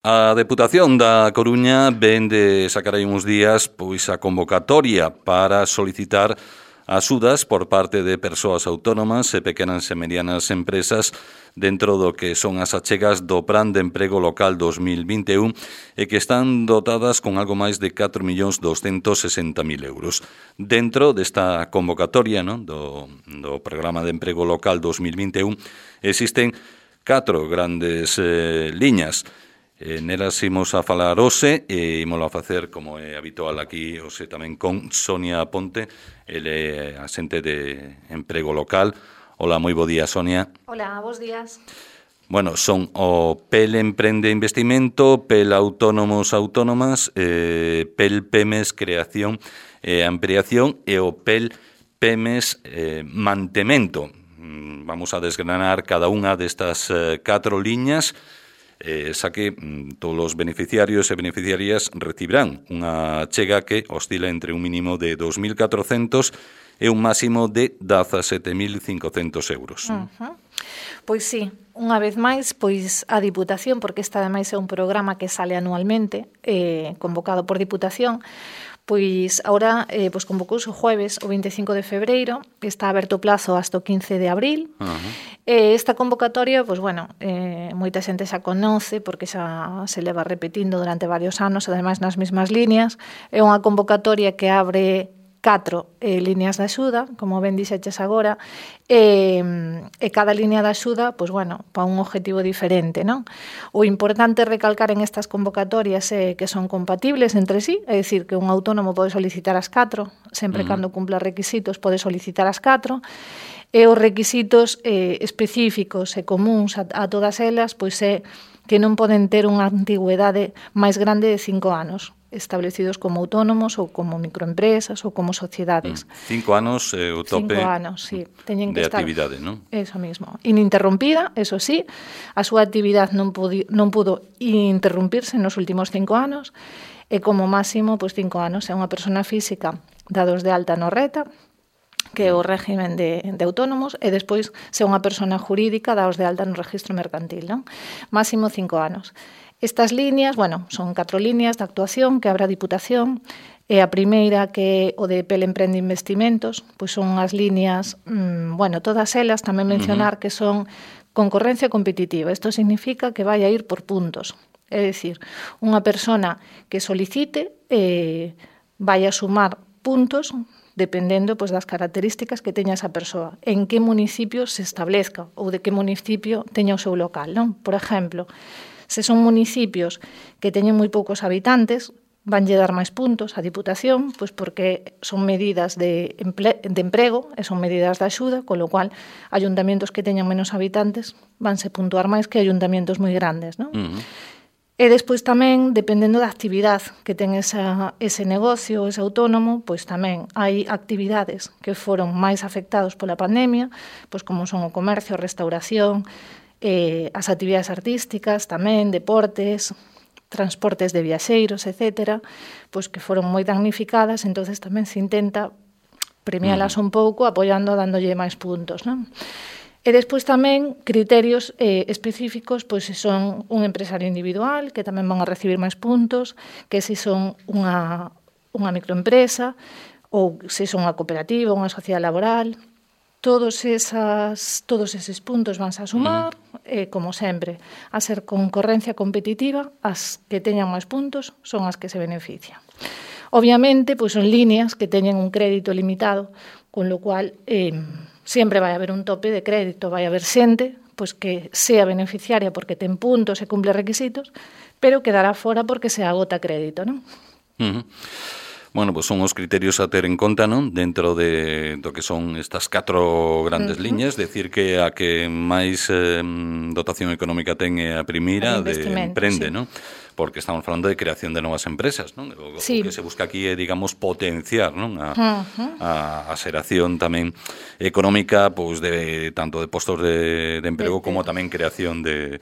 A Deputación da Coruña ven de sacar aí uns días pois a convocatoria para solicitar axudas por parte de persoas autónomas e pequenas e medianas empresas dentro do que son as achegas do Plan de Emprego Local 2021 e que están dotadas con algo máis de 4.260.000 euros. Dentro desta convocatoria, non, do Programa de Emprego Local 2021 existen 4 grandes liñas. Nelas imos a falar hoxe e imos a facer, como é habitual aquí, hoxe tamén con Sonia Ponte, ele é asente de Emprego Local. Hola, moi bo día, Sonia. Hola, bos días. Bueno, son o PEL Emprende Investimento, PEL Autónomos Autónomas, PEL PEMES Creación e Ampliación e o PEL PEMES Mantemento. Vamos a desgranar cada unha destas 4 liñas, xa que todos os beneficiarios e beneficiarias recibirán unha chega que oscila entre un mínimo de 2.400 e un máximo de 17.500 euros. Pois sí, unha vez máis, pois a Diputación, porque esta ademais é un programa que sale anualmente, convocado por Diputación, pois agora pois convocouse o jueves, o 25 de febreiro, está aberto o plazo hasta o 15 de abril. Esta convocatoria, pois bueno, moita xente xa conoce porque xa se leva repetindo durante varios anos, ademais nas mesmas líneas. É unha convocatoria que abre 4 líneas de axuda, como ben dixeches agora, e cada línea de axuda, pois bueno, para un objetivo diferente, non? O importante recalcar en estas convocatorias é que son compatibles entre sí, é dicir, que un autónomo pode solicitar as 4, sempre cando cumpla requisitos pode solicitar as 4, e os requisitos específicos e comuns a todas elas, pois é que non poden ter unha antigüedade máis grande de 5 anos, establecidos como autónomos ou como microempresas ou como sociedades. 5 anos é o tope 5 anos, sí. Teñen que de estar, actividade, non? Eso mismo. Ininterrompida, eso sí, a súa actividade non pudo interrumpirse nos últimos 5 anos e como máximo, pois 5 anos é unha persona física dados de alta no RETA, que é o régimen de autónomos, e despois se unha persona jurídica daos de alta no registro mercantil, non? Máximo 5 anos. Estas líneas, bueno, son 4 líneas de actuación que abre a Diputación, e a primeira, que é o de PEL Emprende Investimentos, pois son as líneas, bueno, todas elas, tamén mencionar que son concorrencia competitiva. Isto significa que vai a ir por puntos. É dicir, unha persona que solicite vai a sumar puntos dependendo pois, das características que teña esa persoa, en que municipio se establezca ou de que municipio teña o seu local, non? Por exemplo, se son municipios que teñen moi poucos habitantes, vanlle dar máis puntos a Diputación, pois porque son medidas de emprego e son medidas de axuda, con lo cual ayuntamientos que teñan menos habitantes vanse puntuar máis que ayuntamientos moi grandes, non? E despois tamén, dependendo da actividade que ten ese negocio, ese autónomo, pois tamén hai actividades que foron máis afectados pola pandemia, pois como son o comercio, a restauración, as actividades artísticas tamén, deportes, transportes de viaxeiros, etcétera, pois que foron moi damnificadas, entonces tamén se intenta premialas un pouco apoiando, dándolle máis puntos, non? E despois tamén criterios específicos, pois se son un empresario individual, que tamén van a recibir máis puntos, que se son unha microempresa, ou se son unha cooperativa, unha sociedade laboral. Todos eses puntos vanse a sumar, como sempre, a ser concorrencia competitiva, as que teñan máis puntos son as que se benefician. Obviamente, pois son líneas que teñen un crédito limitado, con lo cual sempre vai haber un tope de crédito, vai haber xente pois que sea beneficiaria porque ten puntos e cumple requisitos, pero quedará fora porque se agota crédito, non? Bueno, pois son os criterios a ter en conta, non? Dentro do que son estas 4 grandes liñas, decir que a que máis dotación económica ten é a primeira de emprende, sí. Non? Porque estamos falando de creación de novas empresas, non? O que se busca aquí é, digamos, potenciar, non? A xeración tamén económica, pois de tanto de postos de emprego como tamén creación de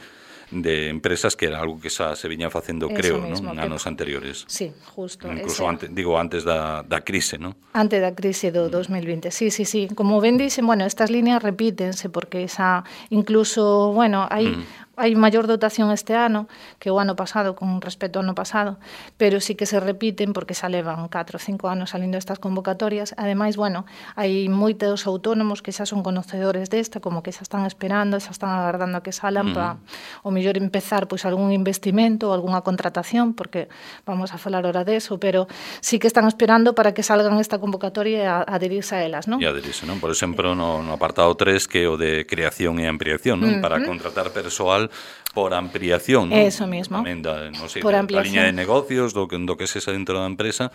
empresas, que era algo que xa se viña facendo, creo, non? En anos anteriores. Sí, justo. Incluso antes da crise, non? Antes da crise do 2020, sí. Como ben dixen, bueno, estas líneas repítense porque xa incluso, bueno, hai hai maior dotación este ano que o ano pasado con respecto ao ano pasado, pero sí que se repiten porque xa levan 4 ou 5 anos salindo estas convocatorias. Ademais, bueno, hai moitos autónomos que xa son conocedores desta, como que xa están esperando, xa están agardando a que salan para o mellor empezar pois algún investimento ou algunha contratación, porque vamos a falar ora deso, pero sí que están esperando para que salgan esta convocatoria e adherirse a elas, non? E adherirse, non? Por exemplo, no apartado 3, que é o de creación e ampliación, non? Para contratar persoal por ampliación, non? Eso mismo. Tamén non sei, por da ampliación. liña de negocios, do que sexa dentro da empresa,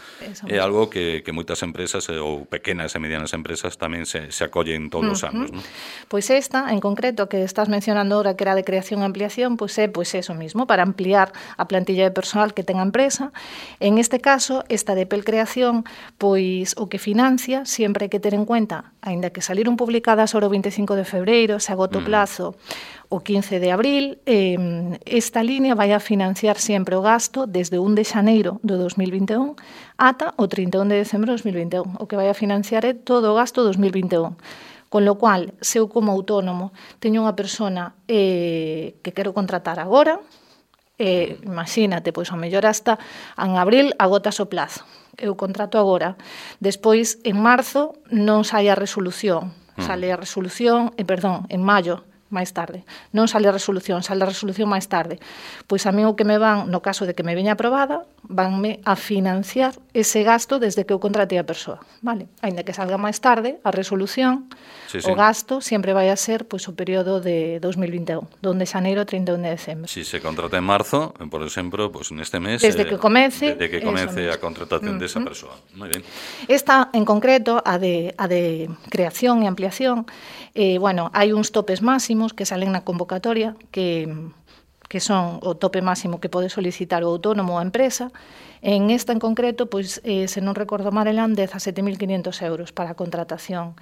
é algo que moitas empresas ou pequenas e medianas empresas tamén se acollen todos os anos, non? Pois esta, en concreto, que estás mencionando ahora, que era de creación e ampliación, pois é eso mismo, para ampliar a plantilla de personal que ten a empresa. En este caso, esta de Pelcreación, pois o que financia, sempre hai que ter en cuenta, aínda que saliron publicadas ahora o 25 de febreiro, se agota o plazo o 15 de abril, esta línea vai a financiar sempre o gasto desde 1 de xaneiro do 2021 ata o 31 de decembro de 2021. O que vai a financiar é todo o gasto 2021. Con lo cual, se eu como autónomo teño unha persona que quero contratar agora, imagínate, pois ao mellor hasta en abril agotas o plazo. Eu contrato agora. Despois, en marzo, non sai a resolución. Sale a resolución, en maio, máis tarde. Non sale a resolución máis tarde. Pois a mí o que me van, no caso de que me veña aprobada, vanme a financiar ese gasto desde que eu contratei a persoa, vale? Aínda que salga máis tarde a resolución, o gasto sempre vai a ser pois o período de 2021, donde xaneiro a 31 de decembro. Si se contrata en marzo, por exemplo, pois neste mes, desde que comece a contratación desa persoa. Moi ben. Esta en concreto, a de creación e ampliación, bueno, hai uns topes máximos que salen na convocatoria que son o tope máximo que pode solicitar o autónomo ou a empresa. En esta en concreto, pois, se non recordo mal, eran 17.500 euros para a contratación.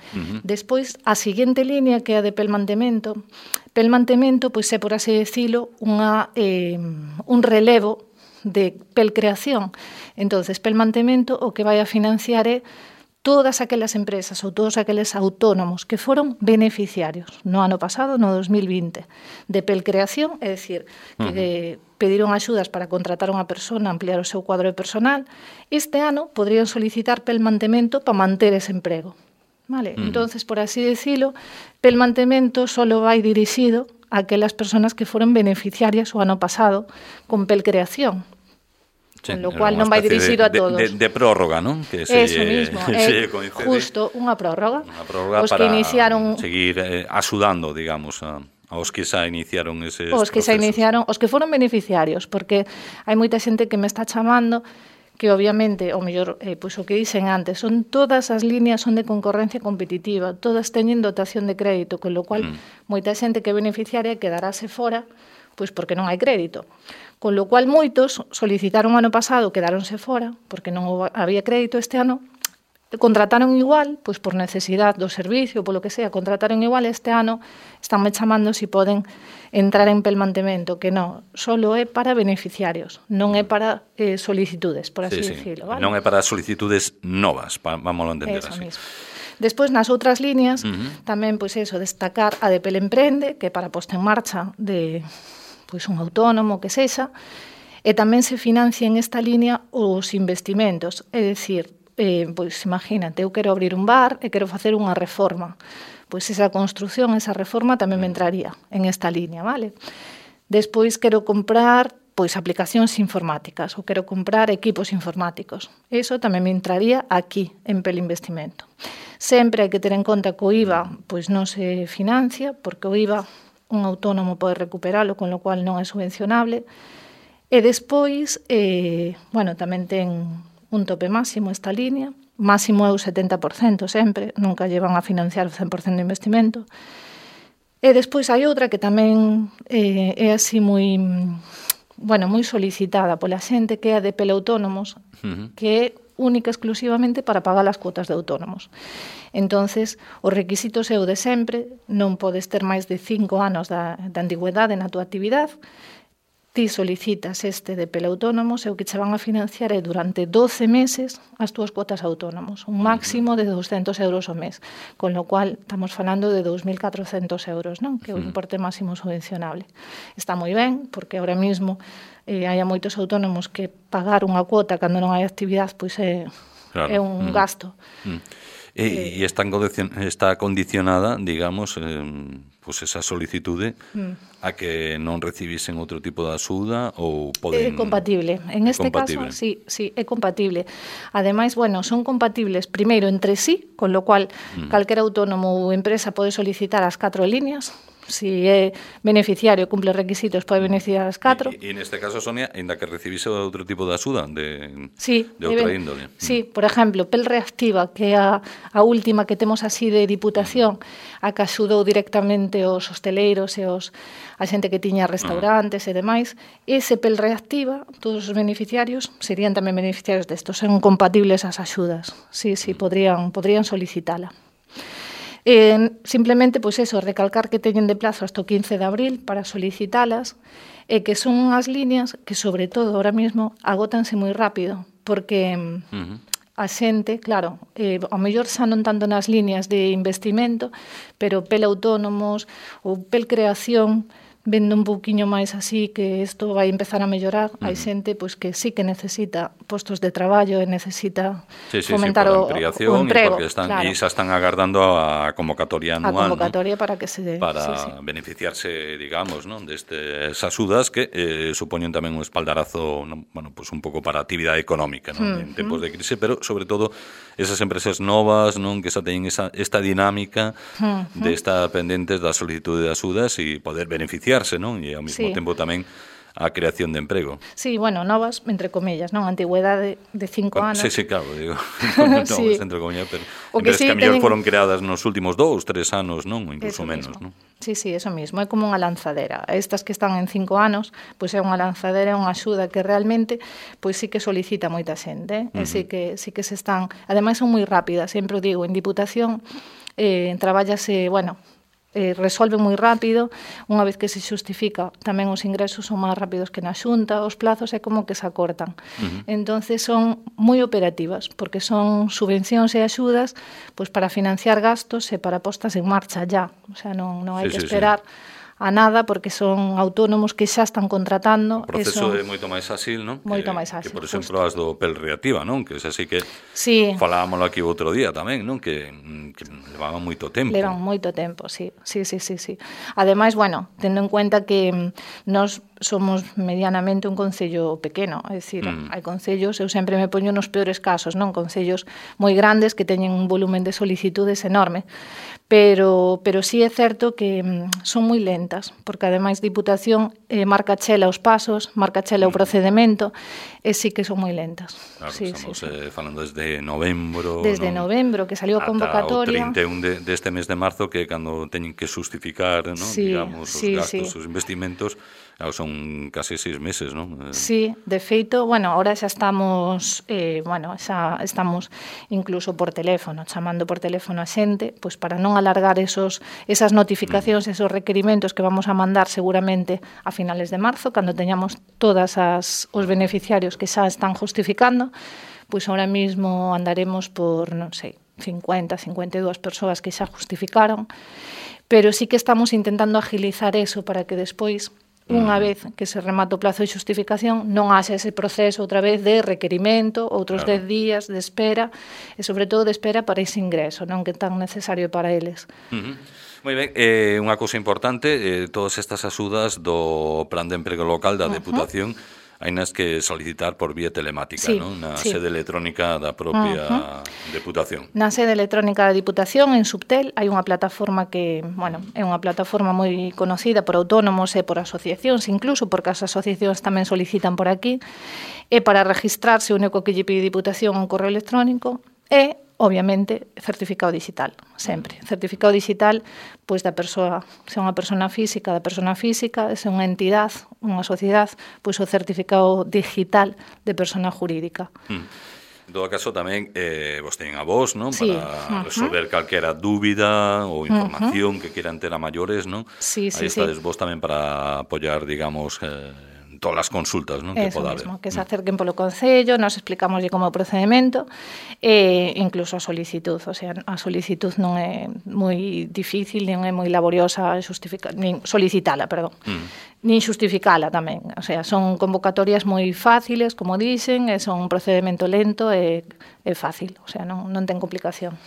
Despois, a seguinte línea, que é a de pelmantemento, pois é, por así decirlo, un relevo de pelcreación. Entonces, pelmantemento o que vai a financiar é todas aquelas empresas ou todos aqueles autónomos que foron beneficiarios no ano pasado, no 2020, de Pelcreación, é dicir, que pediron axudas para contratar unha persona, ampliar o seu cuadro de personal, este ano podrían solicitar pelmantemento para manter ese emprego. Vale? Entonces, por así decirlo, pelmantemento solo vai dirixido a aquelas persoas que foron beneficiarias o ano pasado con Pelcreación. Sí, con lo cual non vai dirixido a todos. De prórroga, non? Que eso mismo, justo unha prórroga. Unha prórroga os para que iniciaron seguir axudando, digamos, aos que xa iniciaron eses os que procesos. Xa iniciaron, os que foron beneficiarios, porque hai moita xente que me está chamando que obviamente, o mellor, pois o que dicen antes, son todas as líneas son de concorrencia competitiva, todas teñen dotación de crédito, con lo cual moita xente que é beneficiaria quedarase fora, pois porque non hai crédito. Con lo cual moitos solicitaron ano pasado, quedáronse fora, porque non había crédito este ano, contrataron igual, pois por necesidade do servicio, polo que sea, contrataron igual este ano, estánme chamando se poden entrar en pelmantemento, que non, solo é para beneficiarios, non é para solicitudes, por así decirlo. Vale? Non é para solicitudes novas, vamos a entender así. Mismo. Despois, nas outras líneas, tamén, pois eso, destacar a de Pelemprende, que é para posta en marcha de pois un autónomo que sexa, e tamén se financia en esta línea os investimentos, é dicir, pois imagínate, eu quero abrir un bar e quero facer unha reforma, pois esa construción, esa reforma tamén me entraría en esta línea, vale? Despois quero comprar pois aplicacións informáticas ou quero comprar equipos informáticos, eso tamén me entraría aquí en Pelinvestimento. Sempre hai que ter en conta que o IVA pois non se financia, porque o IVA un autónomo pode recuperalo, con lo cual non é subvencionable. E despois, bueno, tamén ten un tope máximo esta línea, máximo é o 70% sempre, nunca llevan a financiar o 100% do investimento. E despois hai outra que tamén é así moi solicitada pola xente, que é a de Pelautónomos, que é única exclusivamente para pagar as cuotas de autónomos. Entonces, os requisitos é o de sempre, non podes ter máis de 5 anos da antigüedade na túa actividade, ti solicitas este de pel autónomos e o que che van a financiar é durante 12 meses as túas cuotas autónomos, un máximo de 200 euros ao mes, con lo cual estamos falando de 2.400 euros, non? Que é o importe máximo subvencionable. Está moi ben, porque ahora mismo hai moitos autónomos que pagar unha cuota cando non hai actividade pois é un gasto. E está condicionada, digamos, pues esa solicitude a que non recibisen outro tipo de axuda ou poden... É compatible. En este caso, sí, é compatible. Ademais, bueno, son compatibles primeiro entre sí, con lo cual calquera autónomo ou empresa pode solicitar as 4 líneas. Si é beneficiario, cumple requisitos, pode beneficiar as 4. E neste caso, Sonia, ainda que recibise outro tipo de axuda de outra índole. Sí, por exemplo, Pel Reactiva, que é a última que temos así de Diputación, a que axudou directamente os hosteleiros e a xente que tiña restaurantes e demais, ese Pel Reactiva, todos os beneficiarios serían tamén beneficiarios destos, son compatibles as axudas. Sí, podrían solicitala. Simplemente, pois eso, recalcar que teñen de plazo hasta o 15 de abril para solicitalas e que son unhas líneas que, sobre todo, ahora mesmo, agótanse moi rápido, porque a xente, claro, ao mellor xa non tanto nas líneas de investimento, pero Pel Autónomos ou Pel Creación, vendo un pouquiño máis así que isto vai empezar a mellorar, hai xente pois que sí que necesita postos de traballo e necesita fomentar o emprego, porque xa están agardando a convocatoria anual, a convocatoria, ¿no? Para que se beneficiarse, digamos, ¿no? Destas axudas que supoñen tamén un espaldarazo, ¿no? Bueno, pues un pouco para a actividade económica, ¿no? En tempos de crise, pero sobre todo esas empresas novas, non, que xa teñen esta dinámica de estar pendentes da solicitude de axudas e poder beneficiar, non? E ao mesmo tempo tamén a creación de emprego. Sí, bueno, novas, entre comillas, non? Antigüedade de 5 anos. Sí, claro, digo. Novas, entre comillas, pero empresas que a mellor foron creadas nos últimos 2, 3 anos, non? Ou incluso menos, non? Sí, eso mismo, é como unha lanzadera. Estas que están en 5 anos, pois é unha lanzadera, é unha axuda que realmente pois sí que solicita moita xente, e sí que se están, ademais son moi rápidas, sempre o digo, en Diputación trabállase, bueno, resolve moi rápido, unha vez que se xustifica tamén os ingresos son máis rápidos que na Xunta, os plazos é como que se acortan. Entonces son moi operativas, porque son subvencións e axudas pois para financiar gastos e para postas en marcha ya, o sea, non hai que esperar a nada, porque son autónomos que xa están contratando. O proceso é moito máis áxil, non? Moito máis áxil. Que, por exemplo, as do Pel Reactiva, non? Que é así que falábamos aquí outro día tamén, non? Que levaban moito tempo. Levan moito tempo, sí. Ademais, bueno, tendo en cuenta que nós somos medianamente un concello pequeno, é dicir, hai concellos, eu sempre me poño nos peores casos, non? Concellos moi grandes que teñen un volumen de solicitudes enorme, pero sí é certo que son moi lentas, porque ademais Diputación marca chela os pasos, marca chela o procedimento, e sí que son moi lentas. Claro, estamos falando desde novembro. Desde novembro, que salió a convocatoria. Ata o 31 deste mes de marzo, que é cando teñen que xustificar, non? Digamos, os gastos, os investimentos, son case 6 meses, non? Sí, de feito, bueno, ahora xa estamos, xa estamos incluso por teléfono, chamando por teléfono a xente, pois para non alargar esas notificacións, esos requerimentos que vamos a mandar seguramente a finales de marzo, cando teñamos todas os beneficiarios que xa están justificando, pois ahora mismo andaremos por, non sei, 50, 52 persoas que xa justificaron, pero sí que estamos intentando agilizar eso para que despois, unha vez que se remata o plazo de xustificación, non haxa ese proceso outra vez de requerimento, outros 10 días de espera, e sobre todo de espera para ese ingreso, non que é tan necesario para eles. Moi ben, unha cousa importante, todas estas axudas do Plan de Emprego Local da Deputación hainas que solicitar por vía telemática, non? Na sede electrónica da propia Deputación. Na sede electrónica da Deputación, en Subtel, hai unha plataforma que, bueno, é unha plataforma moi conocida por autónomos e por asociacións, incluso porque as asociacións tamén solicitan por aquí, e para registrarse o único que lle pide Deputación un correo electrónico e obviamente, certificado digital, sempre. Certificado digital, pois da persoa, se é unha persona física, da persona física, se é unha entidade, unha sociedade, pois o certificado digital de persona jurídica. En todo caso, tamén vos teñen a vos, non? Para resolver calquera dúbida ou información que queran ter a maiores, non? Aí estades vos tamén para apoiar, digamos, todas as consultas, non, que poda haber. Eso mesmo, que se acerquen polo Concello, nos explicamos como o procedimento, e incluso a solicitud, o sea, a solicitud non é moi difícil, non é moi laboriosa nin solicitala, perdón. Nin xustificala tamén, o sea, son convocatorias moi fáciles, como dicen, e son un procedimento lento e fácil, o sea, non ten complicación.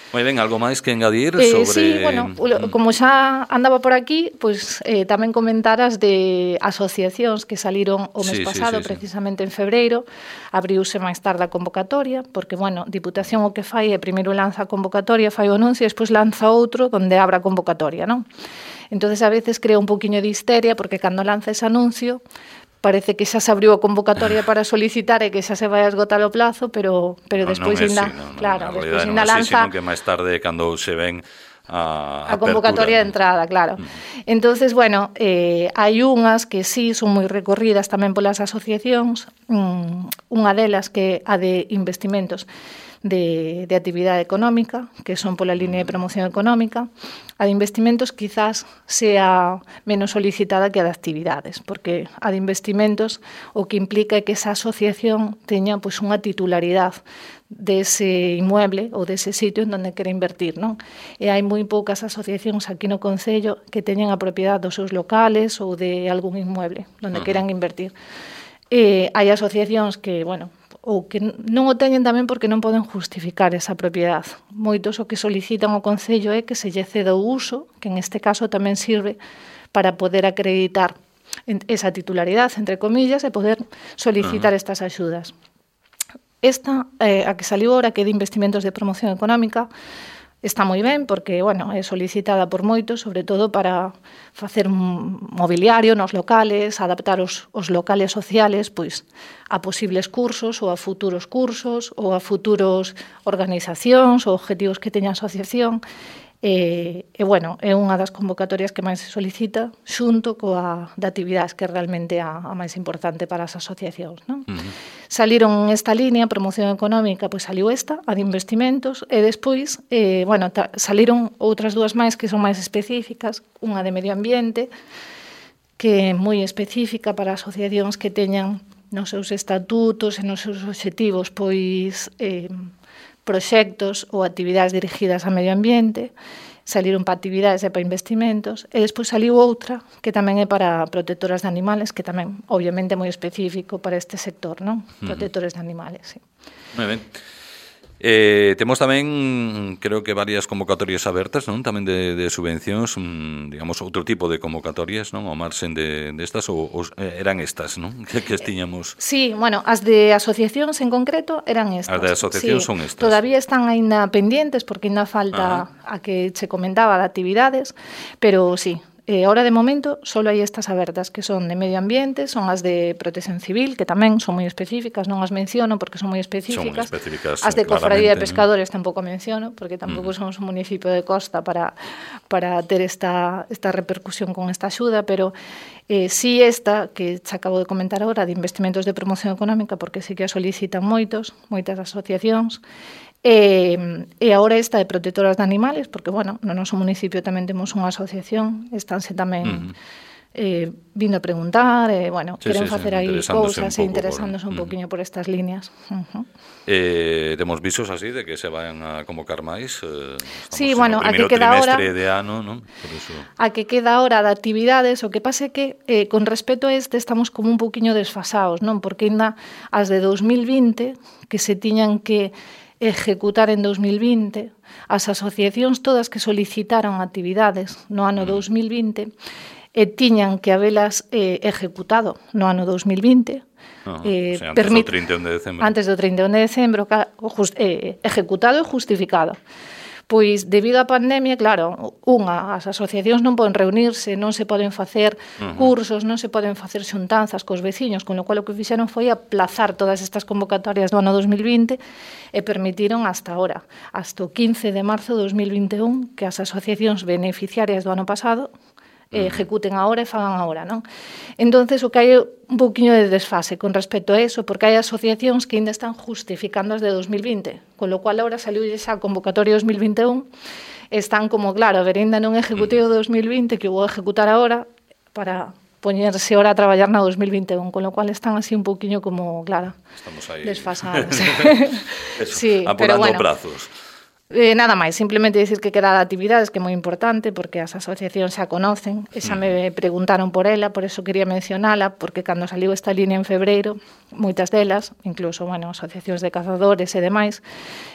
Moi ben, algo máis que engadir sobre... Sí, bueno, como xa andaba por aquí, pues, tamén comentaras de asociacións que saliron o mes pasado, precisamente en febreiro, abriuse máis tarde a convocatoria, porque, bueno, Diputación o que fai é primeiro lanza a convocatoria, fai o anuncio, e despois lanza outro donde abra a convocatoria, non? Entonces, a veces crea un poquinho de histeria, porque cando lanza ese anuncio, parece que xa se abriu a convocatoria para solicitar e que xa se vai a esgotar o plazo, pero despois ainda, claro, despois ainda lanza, sino que máis tarde cando se ven a convocatoria de entrada, claro. Entonces, bueno, hai unhas que sí son moi recorridas tamén polas asociacións, unha delas que a de investimentos de actividade económica, que son pola línea de promoción económica. A de investimentos quizás sea menos solicitada que a de actividades, porque a de investimentos o que implica é que esa asociación teña pois unha titularidade dese inmueble ou dese sitio en donde quere invertir, non? E hai moi poucas asociacións aquí no Concello que teñan a propiedade dos seus locales ou de algún inmueble onde queran invertir. Hai asociacións que, bueno, ou que non o teñen tamén porque non poden justificar esa propiedade. Moitos o que solicitan ao Concello é que se lle ceda o uso, que en este caso tamén sirve para poder acreditar esa titularidade, entre comillas, e poder solicitar estas axudas. Esta, a que saliu ahora, que é de investimentos de promoción económica, está moi ben porque, bueno, é solicitada por moitos, sobre todo para facer un mobiliario nos locales, adaptar os locales sociales pois a posibles cursos ou a futuros cursos ou a futuros organizacións ou objetivos que teña a asociación. Bueno, é unha das convocatorias que máis se solicita xunto coa de actividades, que é realmente a máis importante para as asociacións, non? Saliron esta línea, promoción económica, pois saliu esta, a de investimentos, e despois, bueno, saliron outras dúas máis que son máis específicas, unha de medio ambiente, que é moi específica para asociacións que teñan nos seus estatutos e nos seus obxectivos, pois, proxectos ou actividades dirigidas ao medio ambiente, saliron para actividades e para investimentos, e despois saliu outra que tamén é para protectoras de animales, que tamén, obviamente, é moi específico para este sector, non? Protectores de animales, sí. Moi ben. Temos tamén, creo que varias convocatorias abertas, non? Tamén de subvencións, digamos, outro tipo de convocatorias, non? Ao marxen destas, ou eran estas, non? Que tiñamos... Sí, bueno, as de asociacións en concreto eran estas. As de asociacións son estas. Todavía están aínda pendientes, porque aínda falta a que che comentaba de actividades, pero sí. Ahora, de momento, só hai estas abertas, que son de medio ambiente, son as de protección civil, que tamén son moi específicas, non as menciono porque son moi específicas. As de cofradía de pescadores tampouco menciono, porque tampouco somos un municipio de costa para ter esta repercusión con esta axuda, pero sí esta, que xa acabo de comentar agora, de investimentos de promoción económica, porque sí que a solicitan moitas asociacións, e agora esta de protectoras de animales, porque, bueno, no noso municipio tamén temos unha asociación, estánse tamén vindo a preguntar, bueno, queren facer aí cousas e interesándose un poquinho por estas líneas. Temos visos así de que se vayan a convocar máis. Sí, bueno, a que queda ahora de ano, non? Por eso... A que queda ahora de actividades, o que pasa é que con respecto a este estamos como un poquinho desfasados, non? Porque ainda as de 2020 que se tiñan que ejecutar en 2020, as asociacións todas que solicitaron actividades no ano 2020 tiñan que habelas ejecutado no ano 2020, antes do 31 de decembro. Antes do 31 de decembro, ejecutado e justificado. Pois, debido á pandemia, claro, as asociacións non poden reunirse, non se poden facer cursos, non se poden facer xuntanzas cos veciños, con lo cual o que fixeron foi aplazar todas estas convocatorias do ano 2020 e permitiron hasta ahora, hasta o 15 de marzo de 2021, que as asociacións beneficiarias do ano pasado ejecuten agora e fagan agora, non? Entonces, o que hai un pouquiño de desfase con respecto a eso, porque hai asociacións que ainda están justificando as de 2020, con lo cual agora saliu xa a convocatoria 2021, están como, claro, a ver, ainda non ejecutei o 2020, que vou ejecutar agora para poñerse ahora a traballar na 2021, con lo cual están así un pouquiño como, claro, estamos aí desfasadas. sí, apurando bueno, prazos. Nada máis, simplemente dicir que queda de actividades, que é moi importante, porque as asociacións xa conocen, e xa me preguntaron por ela, por eso quería mencionala, porque cando saliu esta línea en febreiro, moitas delas, incluso, bueno, asociacións de cazadores e demais,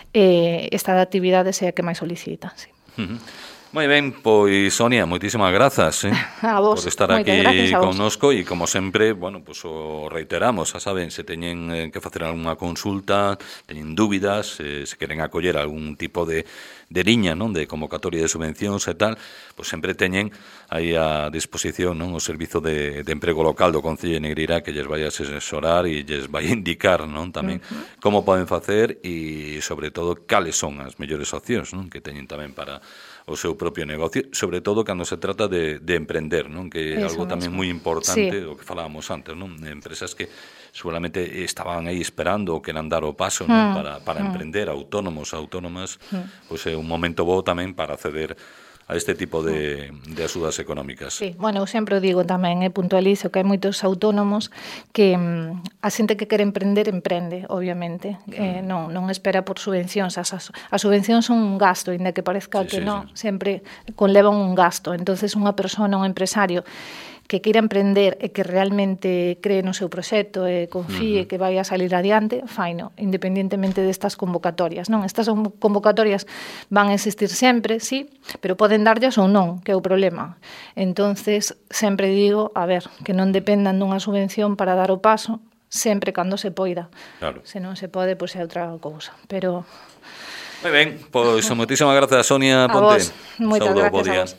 esta de actividades é a que máis solicitan, sí. Moi ben, pois Sonia, moitísimas grazas a vos, por estar aquí connosco e como sempre, bueno, pues o reiteramos, xa saben, se teñen que facer algunha consulta, teñen dúbidas, se queren acoller algún tipo de liña, non, de convocatoria de subvencións e tal, pues sempre teñen aí a disposición, non, o servizo de emprego local do Concello de Negreira que lles vai a asesorar e lles vai a indicar, non, tamén como poden facer e sobre todo cales son as mellores opcións, non, que teñen tamén para o seu propio negocio, sobre todo cando se trata de emprender, non? Que é algo tamén moi importante, o que falábamos antes, non? Empresas que seguramente estaban aí esperando ou queran dar o paso, non? Para emprender, autónomos, autónomas, pois é un momento bo tamén para acceder a este tipo de axudas económicas. Sí, bueno, eu sempre digo tamén, puntualizo que hai moitos autónomos que a xente que quere emprender, emprende, obviamente. Non espera por subvencións. As subvencións son un gasto, ainda que parezca que non, sempre conlevan un gasto. Entonces, unha persona, un empresario que queira emprender e que realmente cree no seu proxecto e confíe que vai a salir adiante, faino, independentemente destas convocatorias, non? Estas convocatorias van a existir sempre, sí, pero poden darllas ou non, que é o problema. Entonces, sempre digo, a ver, que non dependan dunha subvención para dar o paso, sempre cando se poida. Claro. Se non se pode, pois é outra cousa. Pero... Moi ben, pois moitísimas grazas, Sonia Ponte. A vos, moitas gracias a vos.